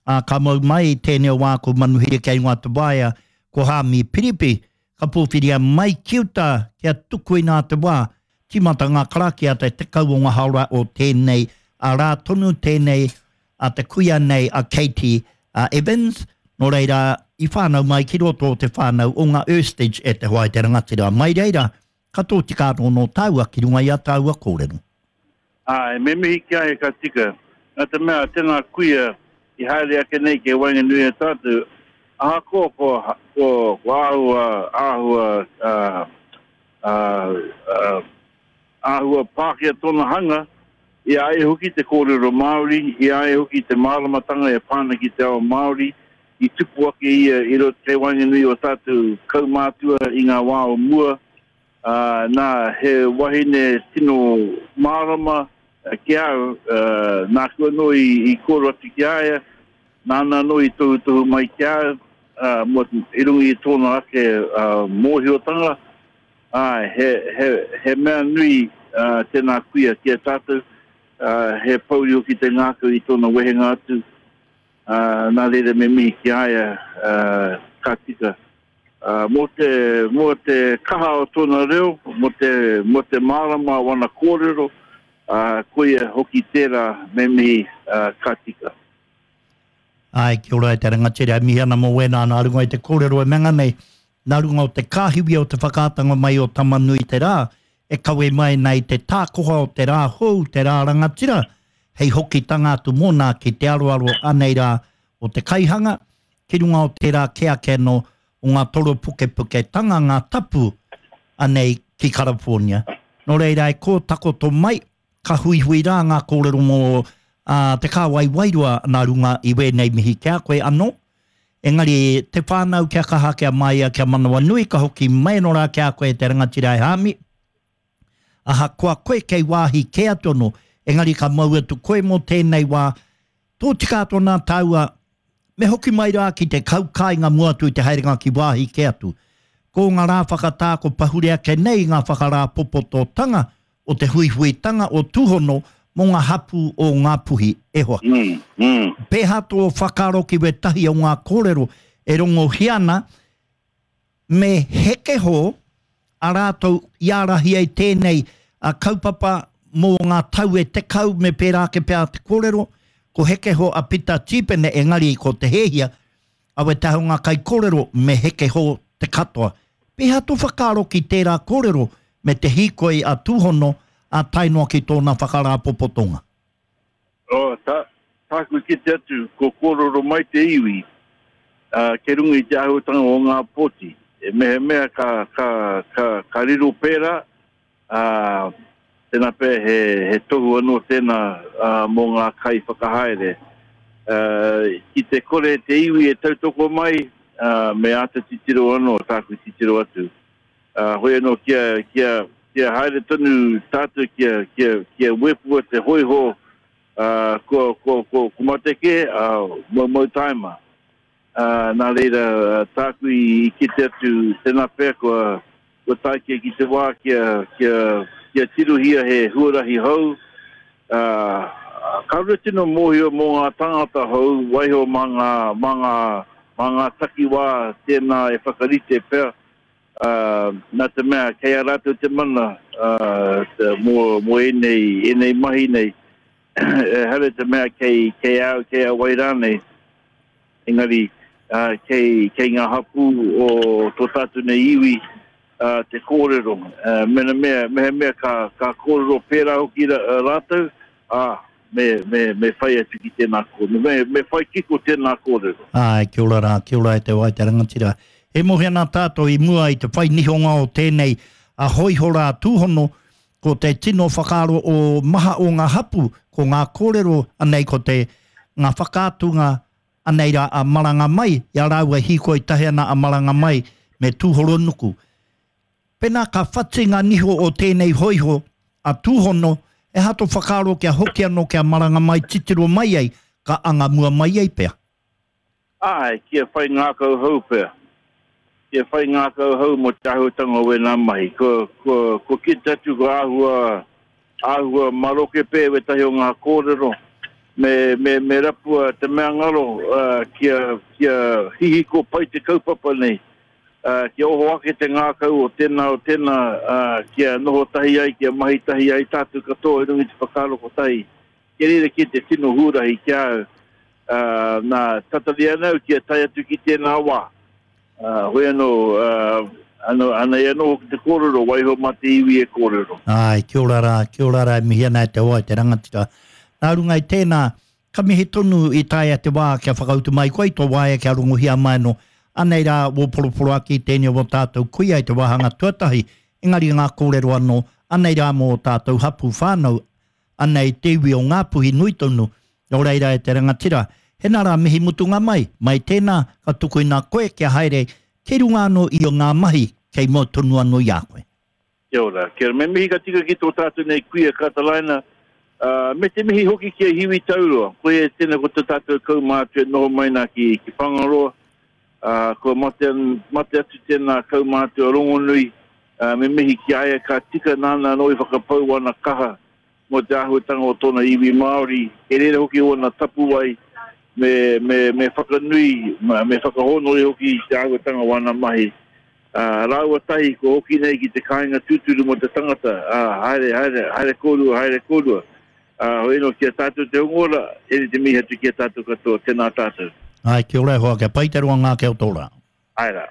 Ā, ka mau mai i tēnei o wāku manuhiri kei runga te waea, ko Hāmi Piripi, ka pōwhiria mai ki uta kia tukuina te wā, tīmata ngā karakia te 10 o ngā haora o tēnei a rā tonu tēnei a te kuia nei a Katie Evans, nō reira i whānau mai ki roto o te whānau o ngā Erstage e te hoa e te rangatira. Mai reira, ka tōtika anō nō tāua ki runga i a tāua kōrero. Āe, me mihi ki a ia ka tika. Nā te mea, tēnā kuia i haere ake nei kei waenganui i a tātou, ahakoa kua, kua, kua āhua, āhua, ā, ā, ā, āhua Pākehā tōna hanga, i a ia hoki te kōrero Māori, i a ia hoki te māramatanga e pā ana ki te ao Māori, i tupu ake ia i roto kei waenganui o tātou kaumātua i ngā wā o mua, ā, nā, he wahine tino mārama ki a au, ā, nāku anō i, i kōrero atu ki a ia, nāna anō i tohutohu mai ki a au, ā, mō, i runga i tōna ake, ā, mōhiotanga, āe, he, he, he mea nui, ā, tēnā kuia ki a tātou, ā, he pouri hoki te ngākau i tōna wehenga atu, ā, nā reira me mihi ki a ia, ā, ka tika. Ā, mō te, mō te kaha o tōna reo, mō te, mō te mārama o ana kōrero, ā, koia hoki tērā me mihi, ā, ka tika. Āe, kia ora e te rangatira, e mihi ana mō wēnā nā runga i te kōrero e menga nei, nā runga o te kāhiwi o te whakaatanga mai o Tama-nui-te-rā, e kawe mai nei te tākoha o te rā hou, te rā rangatira, hei hokitanga atu mōna ki te aroaro anei rā o te kaihanga, ki runga o tērā kē ake anō o ngā toropukepuketanga, ngā tapu anei ki Karapornia. Nō reira e kō takoto mai, ka huihui rā ngā kōrero mō te kāwai wairua nā runga i wēnei mihi ki a koe anō. Engari te whānau kia kaha, kia māia, kia manawanui, ka hoki mai anō rā ki a koe te rangatira e Hāmi. Ahakoa koe kei wāhi kē atu anō, engari ka mau atu koe mō tēnei wā, tōtika atu ana tāua, me hoki mai rā ki te kau kāinga mua atu i te haerenga ki wāhi kē atu. Ko ngā rā whakatā ko pahure ake nei ngā whakarāpopototanga o te huihuitanga o Tūhono mō ngā hapū o Ngāpuhi, e hoa. Pēhā tō whakaaro ki wētahi o ngā kōrero e rongohia ana, Me heke hō a rātou i ārahi ai tēnei kaupapa mō ngā tau e 10 me pērā ake pea te kōrero, ko heke hō a Pita Tīpene engari ko Te Hēhia, a wētahi o ngā kaikōrero me heke hō te katoa. Pēhea tō whakaaro ki tērā kōrero me te hīkoi a Tūhono ā tae noa ki tōna whakarāpopotonga? Oh, tā, tāku kite atu, ko kōrero mai te iwi, ā, kei runga i te āhuatanga o ngā pōti. E mehemea ka, ka, ka, ka riro pērā, ā, tēnā pea he, he tohu anō tēnā, ā, mō ngā kaiwhakahaere. Ā, ki te kore te iwi e tautoko mai, ā, me āta titiro anō tāku titiro atu. Ā, hoi anō kia, kia, kia haere tonu tātou kia, kia, kia wepua te hōiho, ā, kua, kua, kua, kua mate kē, ā, moumou tāima. Ā, nā reira, tāku i, i kite atu, tēnā pea kua, kua tae kē ki te wā kia, kia, kia tirohia he huarahi hou, ā, kāore tino mōhio mō ngā tāngata hou, waiho mā ngā, mā ngā, mā ngā takiwā tēnā e whakarite pea, ā, nā te mea kei a rātou te mana, ā, mō, mō ēnei, ēnei mahi nei, ehara i te mea kei, kei a au, kei a wai rānei, engari, ā, kei, kei ngā hapū o tō tātou nei iwi, ā, te kōrero. Ā, mehemea, mehemea ka, ka kōrero pērā hoki rātou, ā, me, me, me whai atu ki tēnā kōrero, me, me whai kiko tēnā kōrero. Āe, kia ora rā, kia ora e te wai te rangatira. E mohi ana tātou i mua i te whai nihonga o tēnei a hōiho rā tūhono, ko te tino whakaaro o maha o ngā hapu, ko ngā kōrero anei ko te, ngā whakaatunga anei rā a Maranga Mai, i a rāua e hīkoi tahi ana a Maranga Mai me Tūhoronuku. Pēnā ka whati ngā niho o tēnei hōiho a Tūhono, he aha tō whakaaro kia hoki anō kia maranga mai titiro mai ai, ka anga mua mai ai pea? Āe, kia whai ngākau hou pea. Kia whai ngākau hou mō te āhuatanga o wēnā mahi. Kua, kua, kua kite atu kua āhua, āhua maroke pea wētahi o ngā kōrero. Me, me, me rapua te mea ngaro uh, kia, kia hihiko pai te kaupapa nei, uh, kia oho ake te ngākau o tēnā o tēnā, uh, kia noho tahi ai, kia mahi tahi ai tātou katoa i runga i te whakaaro kotahi. Kia reira kē te tino huarahi ki a au. Uh, nā, tatari ana au kia tae atu ki tēnā wā. Uh, hoi anō, uh, ano, anei anō hoki te kōrero, waiho mā te iwi e kōrero. Āe, kia ora rā, kia ora rā, e mihi ana e te hoa, e te rangatira. Nā runga i tēnā, ka mihi tonu i taea te wā kia whakautu mai koe i tō waea kia rongohia mai anō. Anei rā wō poroporoaki tēnei o wō tātou kuia i te wāhanga tuatahi, engari ngā kōrero anō, anei rā mō ō tātou hapū whānau, Anei te iwi o Ngāpuhi nui tonu, nō reira e te rangatira, hena rā mihi mutunga mai, mai tēnā, ka tukuina koe kia haere kei runga anō i ngā mahi kei mua tonu anō i a koe. Kia ora, kia ora. Me mihi ka tika ki tō tātou nei kuia Katalaina, ā, me te mihi hoki ki a Hiwi Tauroa. Koia tēnā ko tō tātou kaumātua e noho mai nā ki, ki Whangaroa, ā, kua mate, mate atu tēnā kaumātua rongonui, Ā, me mihi ki a ia ka tika nāna anō i whakapau ana kaha mō te āhuatanga o tōna iwi Māori, kei reira hoki ōna tapuwae me, me, me whakanui, me whakahōnore hoki i te āhuatanga o ana mahi. Ā, rāua tahi kua hoki nei ki te kāinga tūturu mō te tangata, ā, haere, haere, haere kōrua, haere kōrua. Ā, hoi anō ki a tātou te hunga ora, tēnei te mihi atu ki a tātou katoa, tēnā tātou. Āe, kia ora e hoa, kia pai te roanga ake o tō rā. Āe rā.